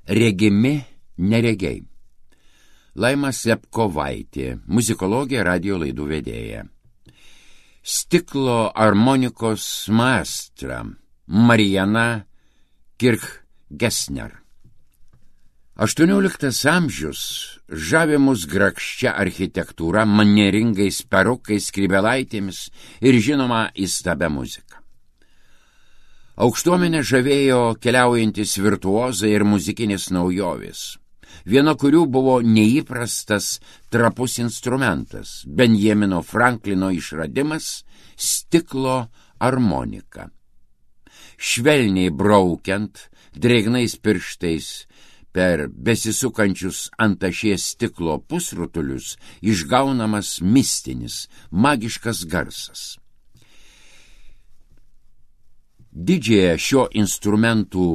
Regimi neregiai. Laima Slepkovaitė, muzikologė, radio laidų vedėja. Stiklo armonikos maestra Mariana Kirchgesner. 18 amžius žavi mus grakščia architektūra, manieringais perukais, skrybelaitėmis ir žinoma įstabia muzika. Aukštuomenę žavėjo keliaujantis virtuozai ir muzikinės naujovės. Viena kurių buvo neįprastas trapus instrumentas, Benjamino Franklino išradimas – stiklo armonika. Švelniai braukiant, drėgnais pirštais per besisukančius ant ašies stiklo pusrutulius išgaunamas mistinis, magiškas garsas. Didžiąją šio instrumentų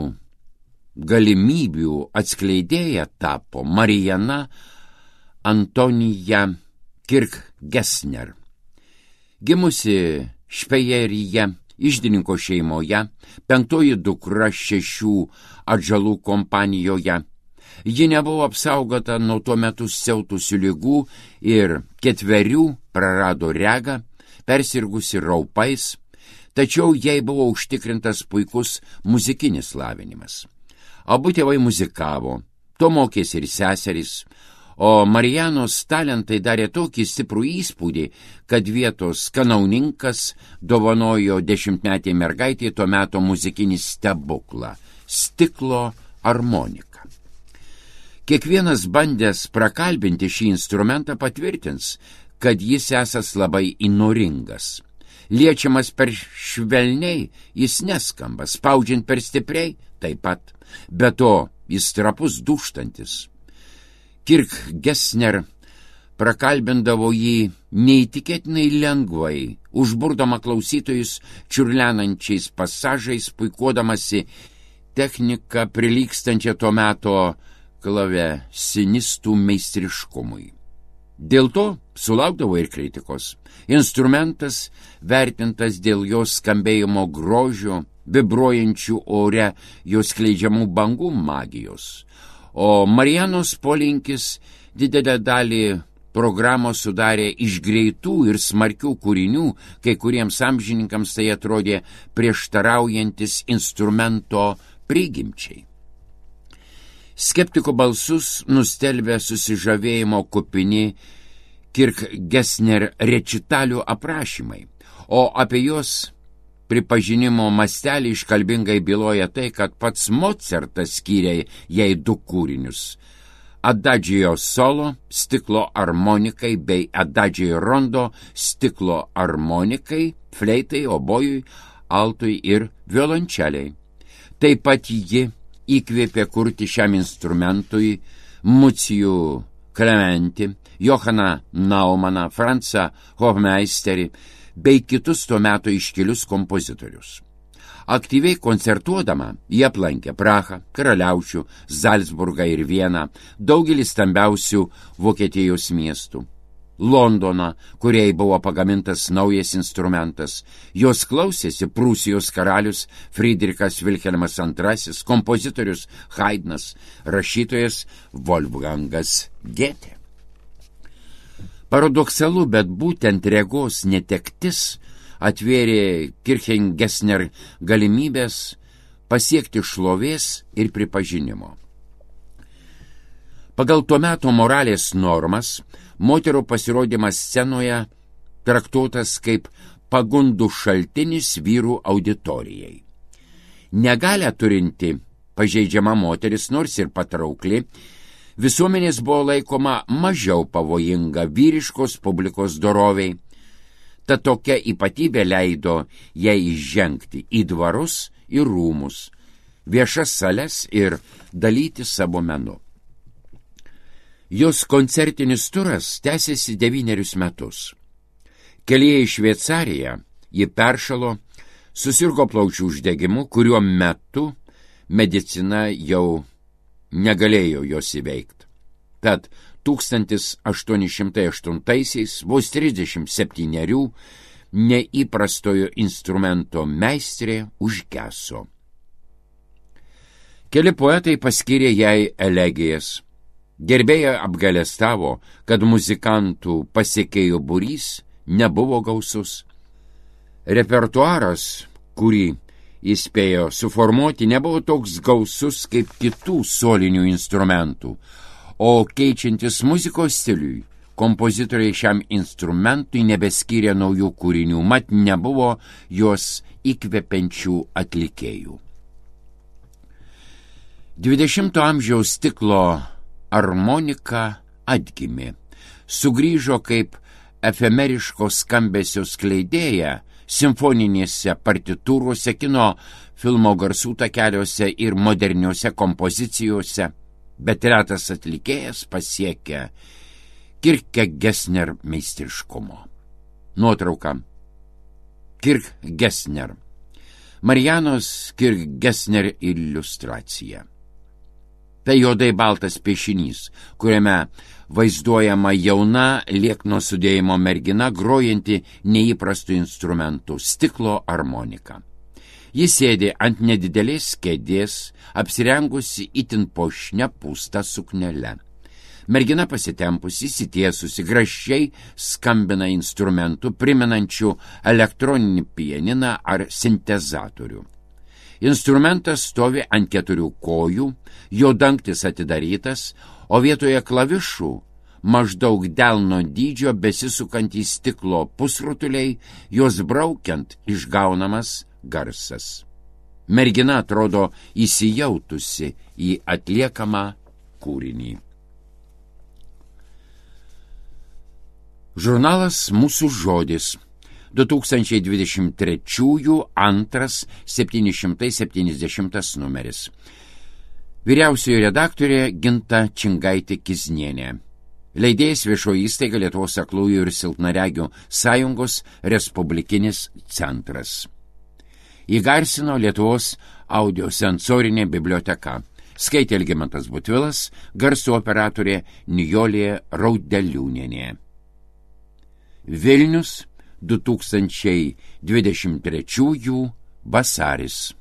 galimybių atskleidėja tapo Mariana Antonija Kirchgesner. Gimusi Špejeryje, iždininko šeimoje, 5 dukra 6 atžalų kompanijoje. Ji nebuvo apsaugota nuo tuo metu siautusių ligų ir 4 prarado regą, persirgusi raupais, tačiau jai buvo užtikrintas puikus muzikinis lavinimas. Abu tėvai muzikavo, to mokėsi ir seserys, o Marijanos talentai darė tokį stiprų įspūdį, kad vietos kanauninkas dovanojo 10-metei mergaitei tuo metu muzikinį stebuklą – stiklo armoniką. Kiekvienas bandęs prakalbinti šį instrumentą patvirtins, kad jis esas labai įnoringas. Liečiamas per švelniai, jis neskamba, spaudžiant per stipriai, taip pat, be to jis trapus dūžtantis. Kirchgesner prakalbindavo jį neįtikėtinai lengvai, užburdama klausytojus čiurlenančiais pasažais, puikuodamasi techniką prilygstančią to meto klavesinistų meistriškumui. Dėl to sulaukdavo ir kritikos. Instrumentas vertintas dėl jos skambėjimo grožio, vibruojančių ore jos skleidžiamų bangų magijos. O Marijanos polinkis didelę dalį programos sudarė iš greitų ir smarkių kūrinių, kai kuriems amžininkams tai atrodė prieštaraujantis instrumento prigimčiai. Skeptikų balsus nustelbė susižavėjimo kupini Kirchgesner rečitalių aprašymai, o apie jos pripažinimo mastelį iškalbingai byloja tai, kad pats Mocartas skyrė jai 2 kūrinius – Adagio solo stiklo armonikai bei Adagio rondo stiklo armonikai, fleitai, obojui, altui ir violončeliai. Taip pat ji įkvėpė kurti šiam instrumentui Mucijų Klementi, Johaną Naumaną, Francą Hofmeisterį bei kitus tuo metu iškilius kompozitorius. Aktyviai koncertuodama jie aplankė Prahą, Karaliaučių, Zalcburgą ir Vieną, daugelį stambiausių Vokietijos miestų. Londoną, kuriai buvo pagamintas naujas instrumentas. Jos klausėsi Prūsijos karalius Friedrichas Vilhelmas II, kompozitorius Haydnas, rašytojas Wolfgangas Goethe. Paradoksalu, bet būtent regos netektis atvėrė Kirchgesner galimybės pasiekti šlovės ir pripažinimo. Pagal tuo meto moralės normas, moterų pasirodymas scenoje traktuotas kaip pagundų šaltinis vyrų auditorijai. Negalią turinti pažeidžiama moteris, nors ir patraukli, visuomenės buvo laikoma mažiau pavojinga vyriškos publikos doroviai. Ta tokia ypatybė leido jai įžengti į dvarus ir rūmus, viešas sales ir dalyti savo menu. Jos koncertinis turas tęsėsi 9 metus. Kelyje į Šveicariją ji peršalo, susirgo plaučių uždegimu, kuriuo metu medicina jau negalėjo jos įveikti. Tad 1808-aisiais, vos 37, neįprastojo instrumento meistrė užgeso. Keli poetai paskyrė jai elegijas. Gerbėjai apgailestavo, kad muzikantų pasiekėjų būrys nebuvo gausus. Repertuaras, kurį jis spėjo suformuoti, nebuvo toks gausus kaip kitų solinių instrumentų, o keičiantis muzikos stiliui, kompozitoriai šiam instrumentui nebeskyrė naujų kūrinių, mat nebuvo juos įkvepiančių atlikėjų. 20 amžiaus stiklo armonika atgimė, sugrįžo kaip efemeriško skambesio skleidėja simfoninėse partitūrose, kino filmo garsų takeliuose ir moderniuose kompozicijose, bet retas atlikėjas pasiekė Kirk-Gessner meistriškumo. Nuotrauka. Kirk-Gessner. Marianos Kirk-Gessner iliustracija. Tai juodai baltas piešinys, kuriame vaizduojama jauna liekno sudėjimo mergina, grojanti neįprastų instrumentų – stiklo armonika. Jis sėdi ant nedidelės kėdės, apsirengusi itin puošnia pūsta suknele. Mergina pasitempusi, įsitiesusi, gražiai skambina instrumentų, primenančių elektroninį pianiną ar sintezatorių. Instrumentas stovi ant 4 kojų, jo dangtis atidarytas, o vietoje klavišų maždaug delno dydžio besisukantys stiklo pusrutuliai, jos braukiant išgaunamas garsas. Mergina atrodo įsijautusi į atliekamą kūrinį. Žurnalas Mūsų žodis. 2023 2 770 numeris. Vyriausioji redaktorė Ginta Čingaitė-Kiznienė. Leidėjas Viešoji įstaiga Lietuvos aklųjų ir silpnaregių sąjungos Respublikinis centras. Įgarsino Lietuvos audiosensorinė biblioteka. Skaitė Algimantas Butvilas, garso operatorė Nijolė Raudeliūnienė. Vilnius, 2023 vasaris.